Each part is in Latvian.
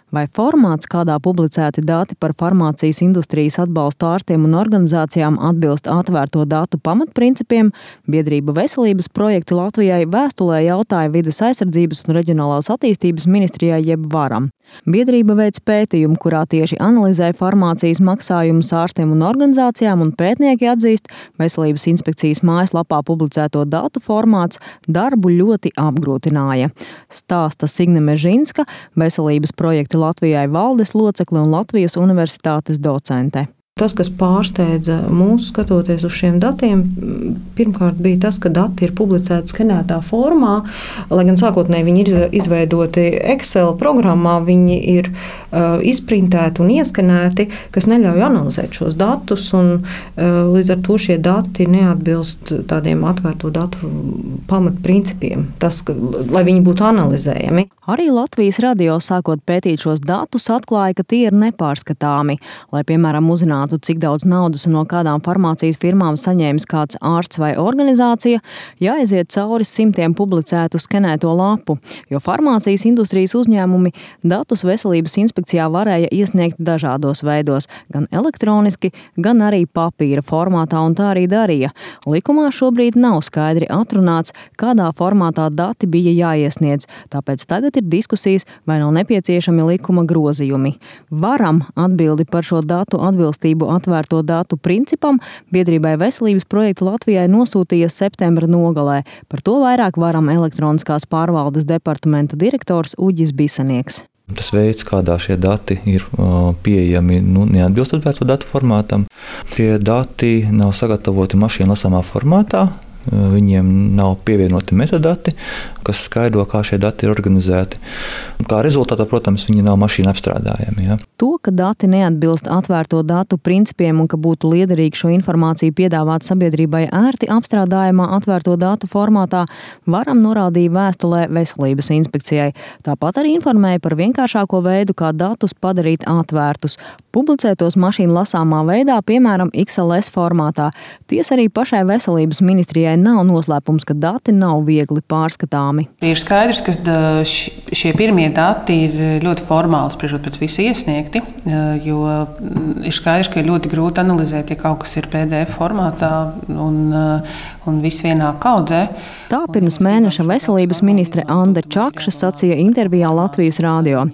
Vai formāts, kādā publicēti dati par farmācijas industrijas atbalstu ārstiem un organizācijām atbilst atvērto datu pamatprincipiem, biedrība Veselības projekti Latvijai vēstulē jautāja Vides aizsardzības un reģionālās attīstības ministrijai jeb Varam. Biedrība veic pētījumu, kurā tieši analizē farmācijas maksājumus ārstiem un organizācijām, un pētnieki atzīst, Veselības inspekcijas mājaslapā publicēto datu formāts darbu ļoti apgrūtināja. Stāsta Signe Mežinska, Veselības projekti Latvijai valdes locekle un Latvijas Universitātes docente. Tas, kas pārsteidza mūs skatoties uz šiem datiem, pirmkārt bija tas, ka dati ir publicēti skenētā formā, lai gan sākotnēji viņi ir izveidoti Excel programmā, viņi ir izprintēti un ieskenēti, kas neļauj analizēt šos datus, un līdz ar to šie dati neatbilst tādiem atvērto datu pamatprincipiem, lai viņi būtu analizējami. Arī Latvijas radio sākot pētīt šos datus atklāja, ka tie ir nepārskatāmi, lai, piemēram, uzzinātu, cik daudz naudas un no kādām farmācijas firmām saņēmis kāds ārsts vai organizācija, jāaiziet cauri simtiem publicētu skenēto lapu, jo farmācijas industrijas uzņēmumi datus Veselības inspekcijā varēja iesniegt dažādos veidos, gan elektroniski, gan arī papīra formātā, un tā arī darīja. Likumā šobrīd nav skaidri atrunāts, kādā formātā dati bija jāiesniedz, tāpēc tagad ir diskusijas, vai nav nepieciešami likuma grozījumi. Varam atbildi par šo datu atbilstību atvērto datu principam biedrībai Veselības projektu Latvijai nosūtīja septembra nogalē. Par to vairāk Varam elektroniskās pārvaldes departamenta direktors Uģis Bisanieks. Tas veids, kādā šie dati ir pieejami, neatbilst atvērto datu formātam. Šie dati nav sagatavoti mašīnu lasāmā formātā. Viņiem nav pievienoti metadati, kas skaidro, kā šie dati ir organizēti. Kā rezultātā, protams, viņi nav mašīna apstrādājami. Ja? To, ka dati neatbilst atvērto datu principiem un ka būtu liederīgi šo informāciju piedāvāt sabiedrībai ērti apstrādājamā atvērto datu formātā, Varam norādīja vēstulē Veselības inspekcijai. Tāpat arī informēja par vienkāršāko veidu, kā datus padarīt atvērtus. Publicētos mašīnu lasāmā veidā, piemēram, XLS formātā. Tiesa arī pašai Veselības ministrijai nav noslēpums, ka dati nav viegli pārskatāmi. Ir skaidrs, ka šie pirmie dati ir ļoti formāli spriežot pēc visa iesniegti, jo ir skaidrs, ka ir ļoti grūti analizēt, ja kaut kas ir PDF formātā un viss vienā kaudzē. Tā pirms mēneša Veselības ministre Ande Čakša sacīja intervijā Latvijas radio.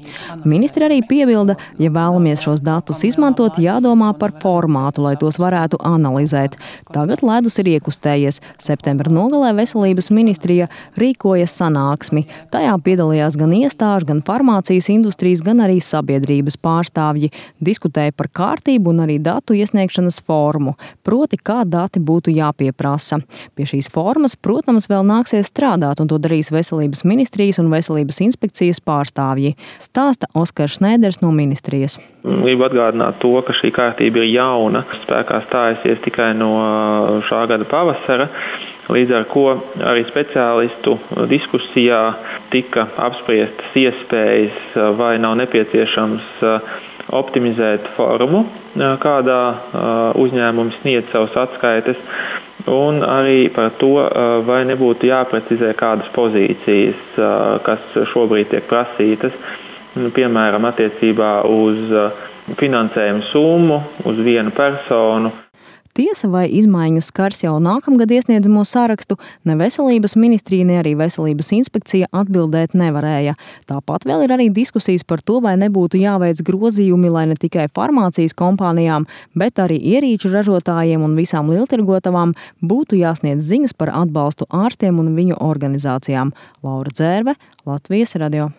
Ministre arī piebilda, ja vēlamies šos datus izmantot, jādomā par formātu, lai tos varētu analizēt. Tagad ledus ir iekustējies. Septembra nogalē Veselības ministrija rīkoja sanāksmi. Tajā piedalījās gan iestāžu, gan farmācijas industrijas, gan arī sabiedrības pārstāvji. Diskutēja par kārtību un arī datu iesniegšanas formu, proti, kā dati būtu jāpieprasa. Pie šīs formas, protams, vēl nāksies strādāt, un to darīs Veselības ministrijas un Veselības inspekcijas pārstāvji. Stāsta Oskars Šnēders no ministrijas. Gribu atgādināt to, ka šī kārtība ir jauna, spēkā stājusies tikai no šā gada pavasara. Līdz ar ko arī speciālistu diskusijā tika apspriestas iespējas, vai nav nepieciešams optimizēt formu, kādā uzņēmums sniedz savas atskaites, un arī par to, vai nebūtu jāprecizē kādas pozīcijas, kas šobrīd tiek prasītas, piemēram, attiecībā uz finansējumu summu, uz vienu personu. Tiesa, vai izmaiņas skars jau nākamgad iesniedzamo sarakstu, ne Veselības ministrija, ne arī Veselības inspekcija atbildēt nevarēja. Tāpat vēl ir arī diskusijas par to, vai nebūtu jāveic grozījumi, lai ne tikai farmācijas kompānijām, bet arī ierīču ražotājiem un visām lieltirgotavām būtu jāsniedz ziņas par atbalstu ārstiem un viņu organizācijām. Laura Dzērve, Latvijas radio.